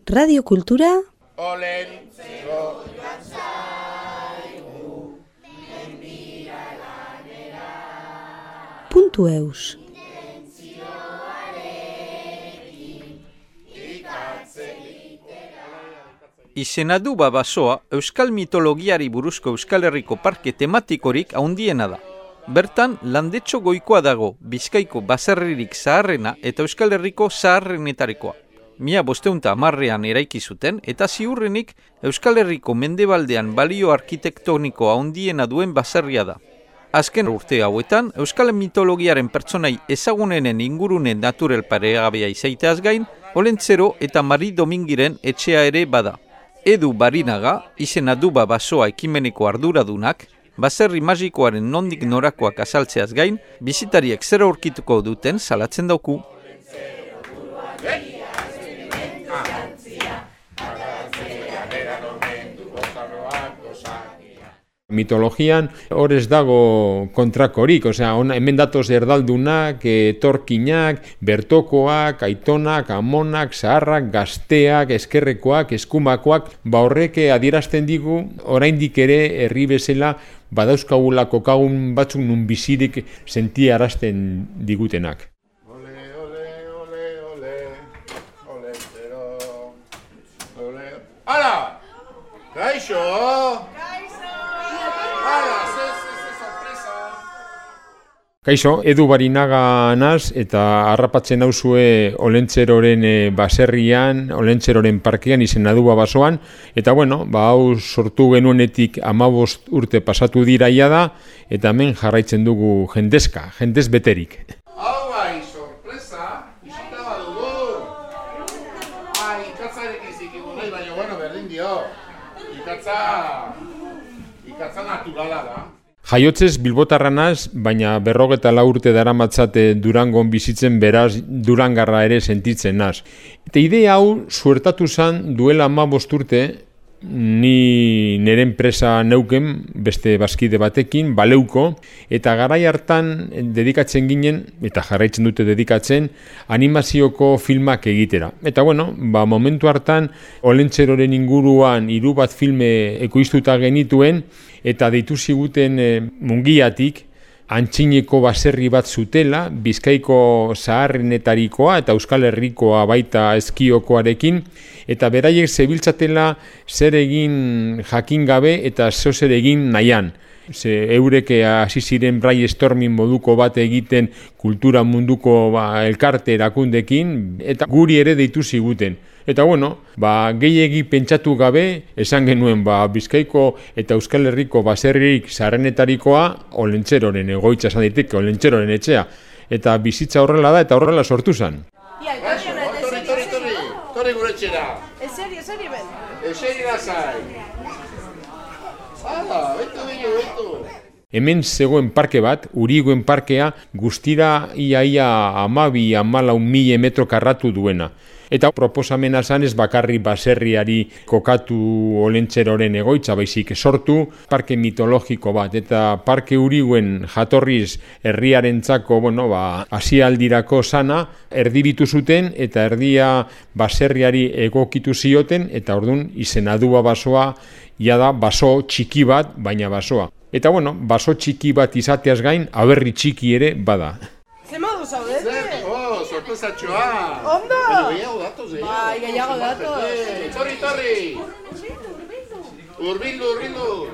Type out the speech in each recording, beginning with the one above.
Radio Kultura .eus. Izena du basoa euskal mitologiari buruzko Euskal Herriko parke tematikorik handiena da. Bertan, Landetxo Goikoa dago, Bizkaiko baserririk zaharrena eta Euskal Herriko zaharrenetarikoa. 1510ean eraiki zuten eta ziurrenik Euskal Herriko mendebaldean balio arkitektonikoa handiena duen baserria da. Azken urte hauetan, euskal mitologiaren pertsonai ezagunenen ingurune naturel paregabea izaiteaz gain, Olentzero eta Mari Domingiren etxea ere bada. Edu Barinaga, izena du basoa ekimeneko arduradunak, baserri magikoaren nondik norakoak azaltzeaz gain, bisitariek zer aurkituko duten salatzen dauku. Mitologian hor ez dago kontrakorik, hemen datoz erdaldunak, etorkinak, bertokoak, aitonak, amonak, zaharrak, gazteak, eskerrekoak, eskumakoak, horrek adierazten digu, oraindik ere herri bezala badauzkagula kokagun batzuk nun bizirik sentiarazten digutenak. ¡Hala! ¡Kaixo! Kaixo, Edu Barinaga naz eta harrapatzen nauzue Olentzeroren baserrian, Olentzeroren parkean izena du basoan, eta hau sortu genuenetik 15 urte pasatu diraia da, eta hemen jarraitzen dugu jendez beterik. Hau bai, sorpresa, isita badugu. Ikatzarekin zikigu nahi, baina berdin dio. Ikatza naturala da. Jaiotzez Bilbotarra naz, baina 54 urte daramatzate Durangon bizitzen, beraz Durangarra ere sentitzen naz. Eta idea hau suertatu zen duela 15 urte, ni nire enpresa neuken, beste bazkide batekin, Baleuko, eta garai hartan dedikatzen ginen, eta jarraitzen dute dedikatzen, animazioko filmak egitera. Eta momentu hartan, Olentzeroren inguruan 3 bat filme ekoiztuta genituen, eta deitu ziguten Mungiatik, Antxineko baserri bat zutela, Bizkaiko zaharrenetarikoa eta Euskal Herrikoa baita Ezkiokoarekin, eta beraiek zebiltzatela zer egin jakin gabe eta zer egin nahian. Eurek hasi ziren brainstorming moduko bat egiten kultura munduko elkarte erakundekin, eta guri ere deitu ziguten. Eta gehiegi pentsatu gabe, esan genuen Bizkaiko eta Euskal Herriko baserririk zaharrenetarikoa Olentzeroren egoitza esan daiteke, Olentzeroren etxea. Eta bizitza horrela da eta horrela sortu zen. Torri gure etxera. Eseri ben. Eseri lazai. Betu. Hemen zegoen parke bat, Uriguen parkea, guztira ia 12-14 metro karratu duena. Eta proposamena zan ez bakarri baserriari kokatu Olentzeroren egoitza, baizik sortu parke mitologiko bat. Eta parke Uriguen jatorriz herriarentzako, hasialdirako sana, erdibitu zuten eta erdia baserriari egokitu zioten, eta ordun izena du basoa, da baso txiki bat, baina basoa. Eta baso txiki bat izateaz gain, aberri txiki ere bada. Ze modu zaudete? Sorpresatxoa! Ondo! Gehiago datoz, Bai, gehiago datoz. Torri! Urbildu!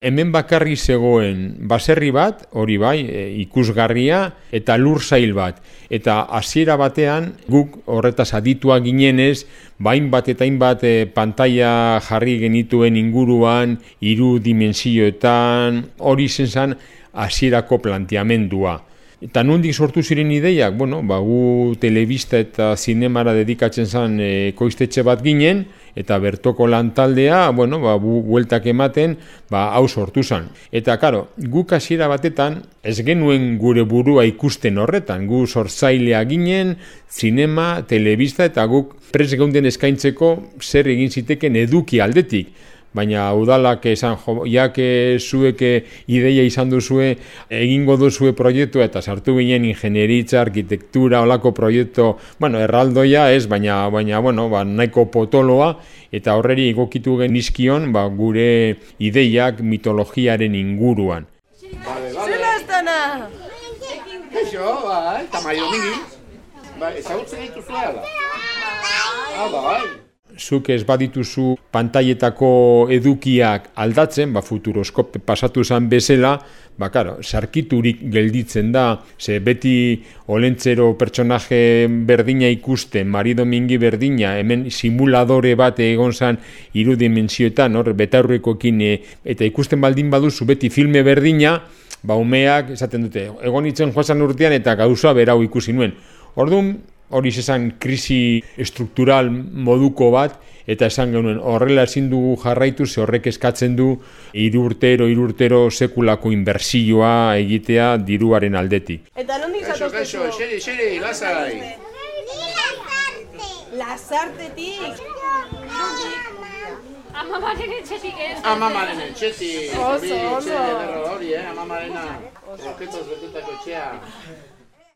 Hemen bakarri zegoen baserri bat, hori bai, ikusgarria, eta lursail bat. Eta hasiera batean, guk horretaz adituak ginenez, hainbat eta hainbat pantaila jarri genituen inguruan, 3 dimensioetan, hori zen hasierako planteamendua. Eta nondik sortu ziren ideiak, gu telebista eta zinemara dedikatzen zen ekoiztetxe bat ginen, eta bertoko lantaldea, bueltak ematen, hau sortu zen. Eta, guk hasiera batetan, ez genuen gure burua ikusten horretan, gu sortzailea ginen, zinema, telebista, eta guk prest geunden eskaintzeko zer egin ziteken eduki aldetik. baina udalak esan, zuek ideia izan duzue, egingo duzue proiektua, eta sartu ginen ingenieritza, arkitektura, olako proiektu, erraldoia ez, baina nahiko potoloa, eta horreri egokitu genizkion gure ideiak mitologiaren inguruan. Zela ez dana! Eixo, bai, tamaio mingi. Bai, ezagutzen dituzu ala? Bai. Zuk ez badituzu pantailetako edukiak aldatzen, futuroskope pasatu zen bezala, sarkiturik gelditzen da, ze beti Olentzero pertsonaje berdina ikusten, Marido Mingi berdina, hemen simuladore bat egon zen irudimentsioetan, betaurrekoekin, eta ikusten baldin baduzu beti filme berdina, umeak esaten dute, egon itzen joazan urtean eta gauza berau ikusi nuen. Orduan, hori esan krisi struktural moduko bat, eta esan genuen horrela ezin dugu jarraitu, ze horrek eskatzen du irurtero sekulako inbertsioa egitea diruaren aldetik. Eta nondik zatozte zu? Xeri, lasai. Lasartetik? Amamaren etxetik ez. Amamaren etxetik. Oso. Hori, amamarena. Roketoz betetako etxea.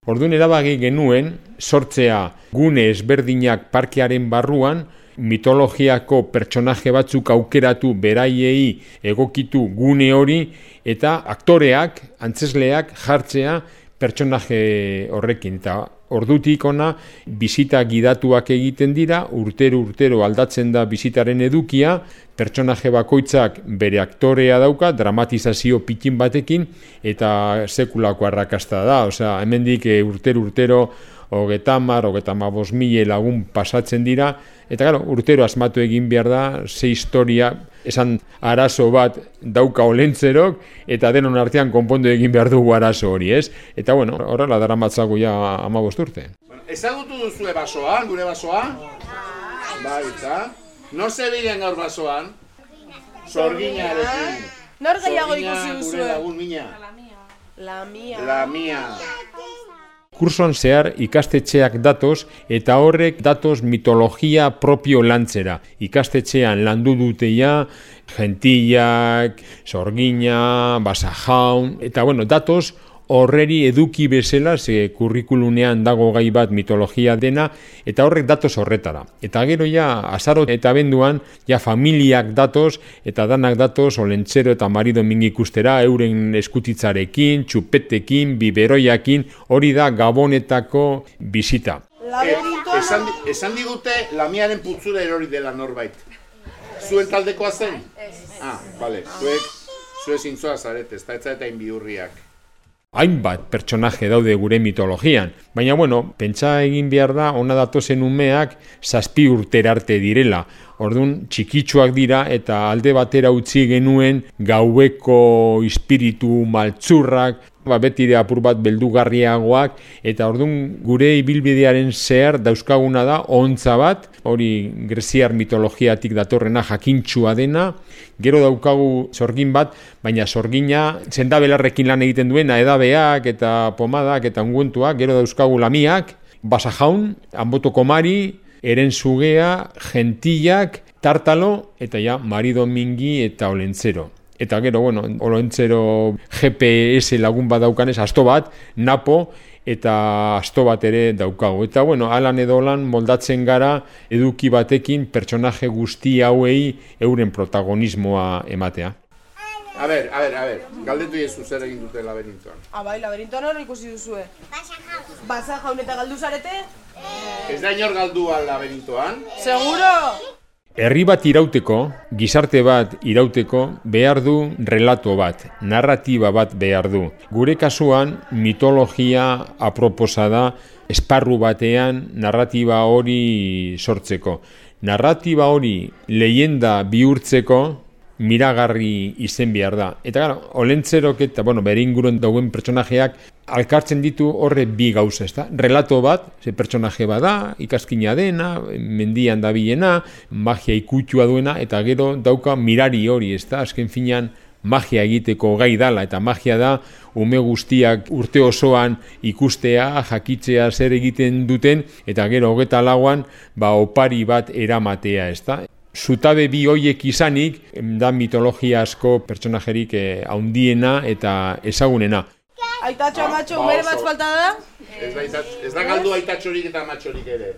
Orduan erabaki genuen sortzea gune ezberdinak parkearen barruan, mitologiako pertsonaje batzuk aukeratu beraiei egokitu gune hori, eta aktoreak, antzesleak jartzea pertsonaje horrekin. Eta ordutik ona bizita gidatuak egiten dira, urtero aldatzen da bizitaren edukia, pertsonaje bakoitzak bere aktorea dauka, dramatizazio pikin batekin, eta sekulako arrakasta da. Osea, hemendik urtero 30.000 lagun pasatzen dira, eta urtero asmatu egin behar da, ze historia, esan arazo bat dauka Olentzerok, eta denon artean konpondu egin behar dugu arazo hori, ez? Eta horrela daramatzagu ja 15 urte. Ezagutu duzue basoan, gure basoa? Bai, eta? Nor zebilen gaur basoan? Sorginarekin. Nor gehiago ikusi duzue? Gure lagun mina. La mia. Kursoan zehar ikastetxeak datoz, eta horrek datoz mitologia propio lantzera. Ikastetxean landu duteia, Gentillak, Sorgina, Basajaun, eta datoz horreri eduki bezala, ze kurrikulunean dago gai bat mitologia dena, eta horrek datoz horretara. Eta gero azaro eta abenduan, familiak datoz, eta danak datoz Olentzero eta Marido Mingi ikustera, euren eskutitzarekin, txupetekin, biberoiakin, hori da Gabonetako bizita. Esan digute lamiaren putzura erori dela norbait. Zuen taldekoa zen? Bale, zuek zintzoa zarete, ez da eta inbiurriak. Hainbat pertsonaje daude gure mitologian, baina pentsa egin behar da, ona datozen umeak 7 urtera arte direla. Orduan txikitsuak dira eta alde batera utzi genuen gaueko espiritu maltzurrak, beti ere apur bat beldugarriagoak, eta orduan gure ibilbidearen zehar dauzkaguna da ontza bat, hori greziar mitologiatik datorrena jakintxua dena, gero daukagu sorgin bat, baina sorgina zendabelarrekin lan egiten duena, edabeak eta pomadak eta unguentuak, gero dauzkagu lamiak, Basajaun, Anbotoko Mari, Erenzugea, Gentillak, Tartalo, eta Marido Mingi eta Olentzero. Eta gero, Olentzero GPS lagun bat daukanez, asto bat, Napo, eta asto bat ere daukagu. Eta, alan edo lan moldatzen gara eduki batekin pertsonaje guzti hauei euren protagonismoa ematea. A ber, galdetu jesu zer egin dute laberintoan. Bai, laberintoan hori ikusi duzue. Basajaun eta galdu zarete? Ez da inor galdua laberintoan? Seguro! Herri bat irauteko, gizarte bat irauteko, behar du relato bat, narratiba bat behar du. Gure kasuan, mitologia aproposa da, esparru batean narratiba hori sortzeko. Narratiba hori leyenda bihurtzeko, miragarri izen behar da. Eta Olentzerok eta bere inguruan dagoen pertsonajeak alkartzen ditu horre bi gauza, ezta? Relato bat, ze pertsonaje bada, ikaskina dena, mendian dabilena, magia ikutua duena, eta gero dauka mirari hori, ezta? Azken finean magia egiteko gai dala, eta magia da ume guztiak urte osoan ikustea, jakitzea zer egiten duten, eta gero 24an opari bat eramatea, ezta? zutabe bi hoiek izanik, da mitologia asko pertsonajerik handiena eta ezagunena. Aitatxo amatxo bere bat falta da? Ez da galdu aitatxorik eta amatxorik ere.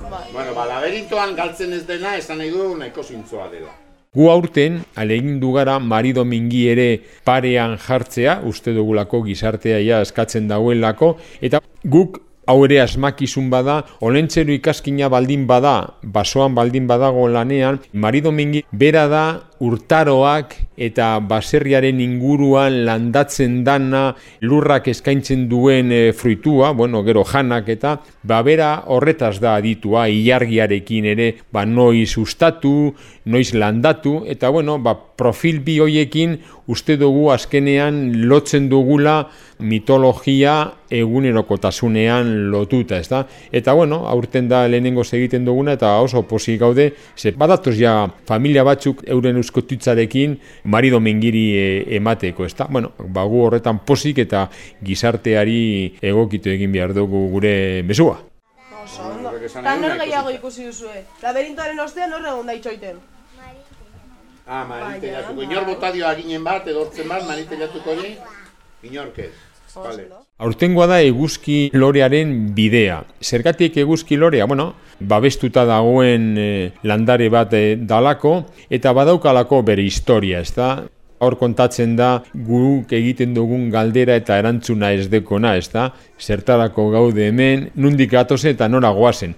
Bueno, laberintoan galtzen ez dena, esan nahi du nahiko zintzoa dela. Gu aurten, alegindu gara marido mingi ere parean jartzea, uste dugulako gizartea ja eskatzen dauelako, eta guk hau ere asmakizun bada, olentzero ikaskina baldin bada, basoan baldin badago lanean, marido mingi bera da urtaroak eta baserriaren inguruan landatzen dana, lurrak eskaintzen duen fruitua, gero janak eta, bera horretaz da aditua, ilargiarekin ere, noiz ustatu, noiz landatu, eta profil bi hoiekin uste dugu azkenean lotzen dugula mitologia egunerokotasunean lotuta, ezta? Eta aurten da lehenengoz egiten duguna eta oso pozik gaude, ze badatoz ja familia batzuk euren euskotitzarekin marido mingiri emateko, ezta? Gu horretan pozik eta gizarteari egokitu egin behar dugu gure mesua. Eta nor gehiago ikusi duzue? Laberintoaren ostean nor egon da itxoiten? Manitelatuko. Inor botadio aginen bat, edortzen bat, manitelatuko hori, inorkez. Vale. Aurtengoa da eguzki lorearen bidea. Zergatik eguzki lorea? Babestuta dagoen landare bat dalako eta badaukalako bere historia, ezta? Hor kontatzen da guk egiten dugun galdera eta erantzuna ez dekona, ezta? Zertarako gaude hemen, nundik gatozen eta nora goazen.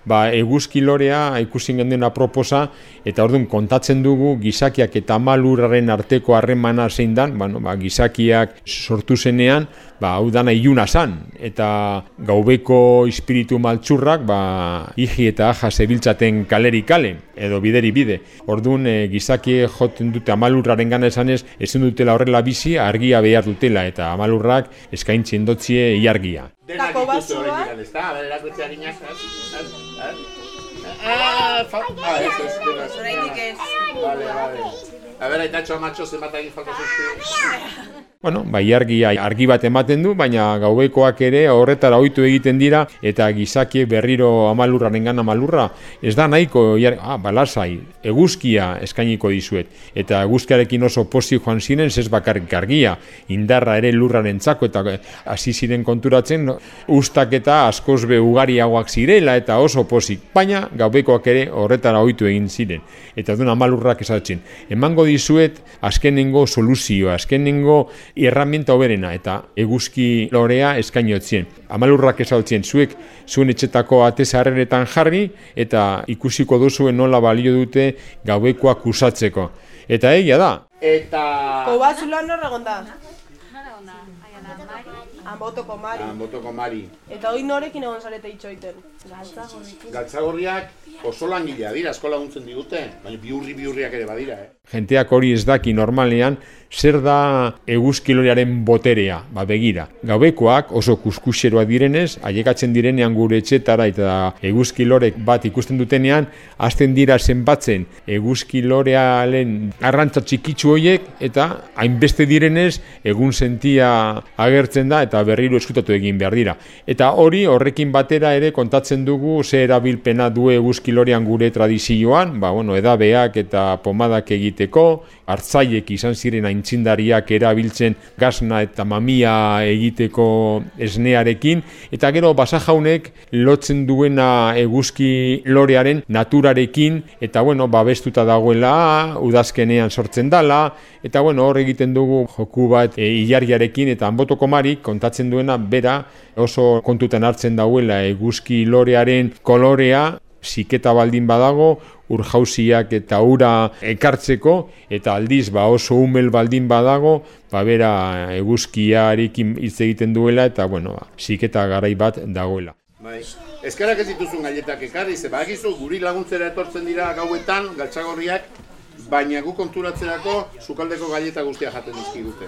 Eguzki lorea ikusi genduen aproposa eta orduan kontatzen dugu gizakiak eta amalurraren arteko harremana zein dan, gizakiak sortu zenean, hau dana iluna zan, eta gaubeko espiritu maltsurrak iji eta aja zebiltzaten kaleri kale, edo bideri bide. Orduan gizaki joten dute amalurraren gana esanez, ezin dutela horrela bizi, argia behar dutela, eta amalurrak eskaintzen dotzie iargia. Denak ikustu hori digan, ez da? A ber, erakutze harinak, Zoraitik ez. Vale. A ber, aitatxo amatxo zenbat egin falta zuztu. Iargia argi bat ematen du, baina gaubekoak ere horretara ohitu egiten dira, eta gizakiek berriro amalurraren amalurra, ez da nahiko, lasai, eguzkia eskainiko dizuet, eta eguzkiarekin oso pozik joan ziren, ez bakarrik argia, indarra ere lurraren txako, eta hasi ziren konturatzen, ustak eta askoz be ugariagoak zirela, eta oso pozik, baina gaubekoak ere horretara ohitu egin ziren, eta duen amalurrak esatzen, emango dizuet azkenengo soluzioa, azkenengo herramienta hoberena, eta eguzki lorea eskainotzien. Amalurrak esautzien, zuek zuen etxetako atezarreretan jarri, eta ikusiko duzuen nola balio dute gaubekoak usatzeko. Eta egia da. Eta... Kobatzuloan nor egon da? Anbotoko Mari. Eta hori norekin egon zarete itxoiten? Galtzagorriak oso langilea dira, asko laguntzen digute, baina biurriak ere badira, Jenteak hori ez daki normalean, zer da eguzki lorearen boterea, begira. Gaubekoak oso kuskuseroa direnez, ailegatzen direnean gure etxetara eta eguzki lorek bat ikusten dutenean, hasten dira zenbatzen eguzki lorearen arrantza txikitsu horiek, eta hainbeste direnez, egun sentia agertzen da, eta berriro eskutatu egin behar dira. Eta hori horrekin batera ere kontatzen dugu ze erabilpena du eguzki lorean gure tradizioan, edabeak eta pomadak egiteko, hartzaiek izan ziren aintzindariak erabiltzen gasna eta mamia egiteko esnearekin, eta gero basajaunek lotzen duena eguzki lorearen naturarekin, eta babestuta dagoela, udazkenean sortzen dala, eta hor egiten dugu joku bat ilargiarekin, eta Anbotoko Marik kontatzen duena bera oso kontutan hartzen dauela eguzki lorearen kolorea, ziketa baldin badago, urjauziak eta ura ekartzeko, eta aldiz oso umel baldin badago, bera eguzkiarekin hitz egiten duela, eta ziketa garai bat dagoela. Eskarak ez dituzun gailetak ekarri, ze bagizu guri laguntzera etortzen dira gauetan, galtzagorriak, baina gu konturatzerako sukaldeko gaileta guztia jaten dizkigute.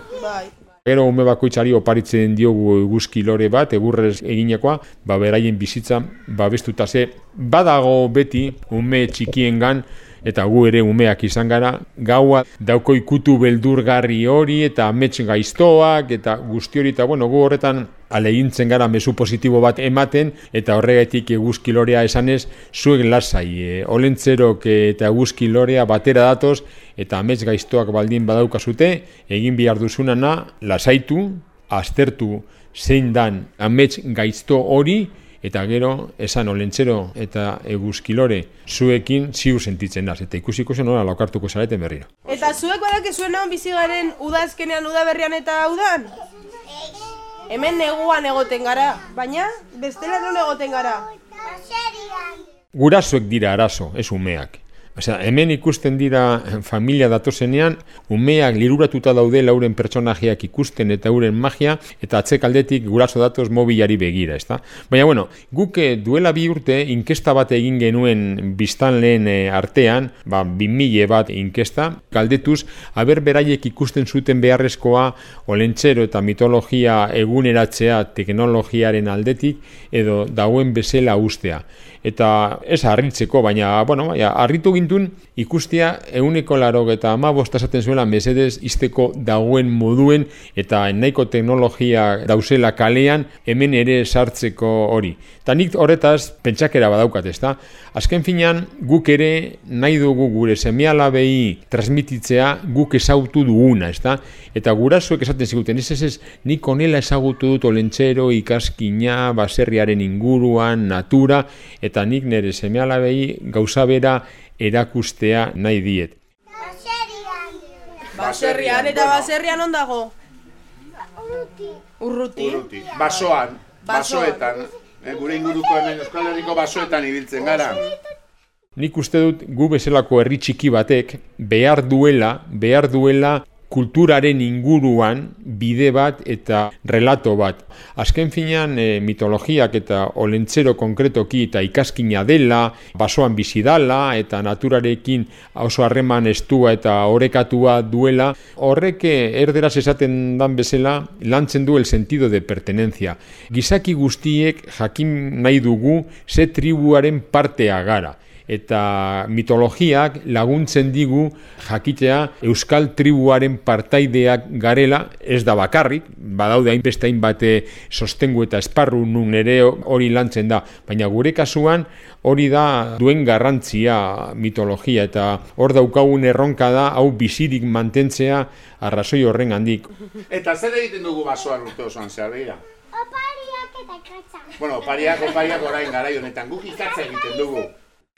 Gero ume bakoitzari oparitzen diogu eguzki lore bat, egurrez eginekoa, beraien bizitza babestuta ze. Badago beti ume txikiengan, eta gu ere umeak izan gara, gaua dauko ikutu beldurgarri hori, eta amets gaiztoak, eta guzti hori, eta gu horretan alegintzen gara mezu positibo bat ematen, eta horregatik eguzki lorea esanez, zuek lasai, olentzerok eta eguzki lorea batera datoz, eta amets gaiztoak baldin badaukazute, egin behar duzunana, lasaitu, aztertu zein dan amets gaizto hori, eta gero, esan olentzero eta eguzkilore zuekin ziur sentitzen naz, eta ikusiko zen nola laukartuko zareten berriro. Eta zuek badakezuen hon bizi garen udazkenean, udaberrian eta udan? Hemen neguan egoten gara, baina bestela non egoten gara? Gurasoek dira arazo, ez umeak. Osea, hemen ikusten dira familia datozenean, umeak liruratuta daude lauren pertsonajeak ikusten eta euren magia, eta atzekaldetik guraso datoz mobilari begira, ezta? Baina, bueno, guk duela 2 urte inkesta bat egin genuen biztanleen artean, 2000 bat inkesta, galdetuz, aber beraiek ikusten zuten beharrezkoa olentzero eta mitologia eguneratzea teknologiaren aldetik, edo dagoen bezala ustea. Eta ez harritzeko, baina, harritu gintun ikustea 185 esaten zuela mesedez izteko dagoen moduen eta nahiko teknologia dauzela kalean hemen ere sartzeko hori. Eta nik horretaz pentsakera badaukat, ezta? Azken finean guk ere nahi dugu gure seme-alabei transmititzea guk ezagutu duguna, ezta? Eta gurasoek esaten ziguten, ez, nik honela ezagutu dut olentzero, ikaskina, baserriaren inguruan, natura, eta nik nire seme-alabei gauza bera erakustea nahi diet. Baserrian, eta baserrian on dago? Urruti. Basoetan. Gure inguruko hemen Euskal Herriko basoetan ibiltzen gara. Nik uste dut gu bezalako herri txiki batek behar duela kulturaren inguruan bide bat eta relato bat. Azken finean mitologiak eta olentzero konkretoki eta ikaskina dela, basoan bizi dala eta naturarekin oso harreman estua eta orekatua duela, horrek erderaz esaten dan bezala lantzen du el sentido de pertenencia. Gizaki guztiek jakin nahi dugu ze tribuaren partea gara. Eta mitologiak laguntzen digu jakitea euskal tribuaren partaideak garela, ez da bakarrik, badaude hainbeste hainbate sostengu eta esparru nun ere hori lantzen da, baina gure kasuan hori da duen garrantzia mitologia, eta hor daukagun erronka da hau bizirik mantentzea arrazoi horren handik. Eta zer egiten dugu basoan urte osoan zehar begira? Opariak eta ikatza. Bueno, opariak orain garai honetan, guk ikatza egiten dugu.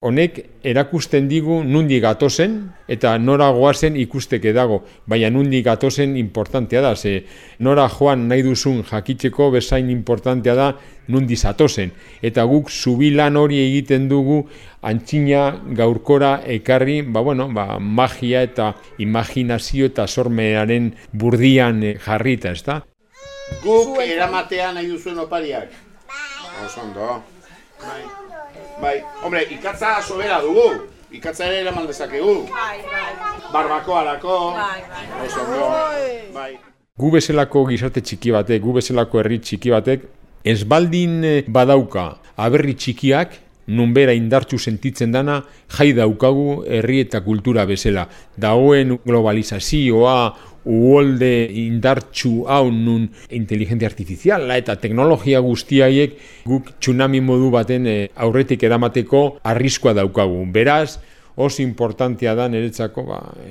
Honek erakusten digu nundi gatozen eta nora goazen ikusteke dago, baina nundi gatozen importantea da, ze nora joan nahi duzun jakitzeko bezain importantea da nundi zatozen. Eta guk zubilan hori egiten dugu antzina gaurkora ekarri, magia eta imaginazio eta sormearen burdian jarrita, ezta? Guk eramatea nahi duzuen opariak? Osondo. Bai, hombre, ikatza sobera dugu. Ikatza ere eraman dezakegu. Barbakoarako. Osondo. Bai. Gu bezalako gizarte txiki batek, gu bezalako herri txiki batek, ez baldin badauka aberri txikiak, nunbera indartsu sentitzen dana, jai daukagu herri eta kultura bezala. Dagoen globalizazioa, uholde indartsu hau nun inteligentzia artifiziala eta teknologia guztiaiek guk tsunami modu baten aurretik eramateko arriskua daukagu. Beraz, oso importantea da niretzako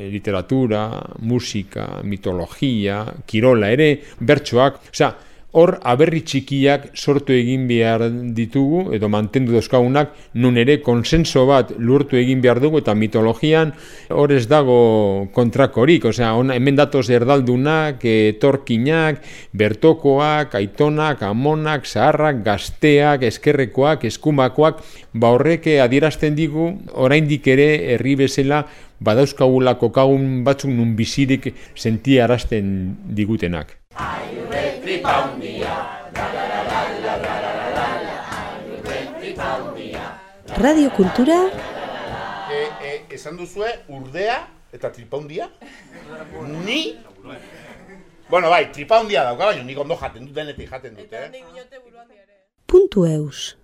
literatura, musika, mitologia, kirola ere, bertsoak, hor aberri txikiak sortu egin behar ditugu, edo mantendu dauzkagunak, nun ere konsenso bat lurtu egin behar dugu, eta mitologian hor ez dago kontrakorik, hemen datoz erdaldunak, etorkinak, bertokoak, aitonak, amonak, zaharrak, gazteak, eskerrekoak, eskumakoak, horrek adierazten digu, oraindik ere herri bezala, badauzkagulako kagun batzuk nun bizirik sentiarazten digutenak. Radio Kultura. Esan duzue urdea eta tripaundia? Ni? Bueno, bai, tripaundia dauka, baina nik ondo jaten dut, denetik jaten dut, .eus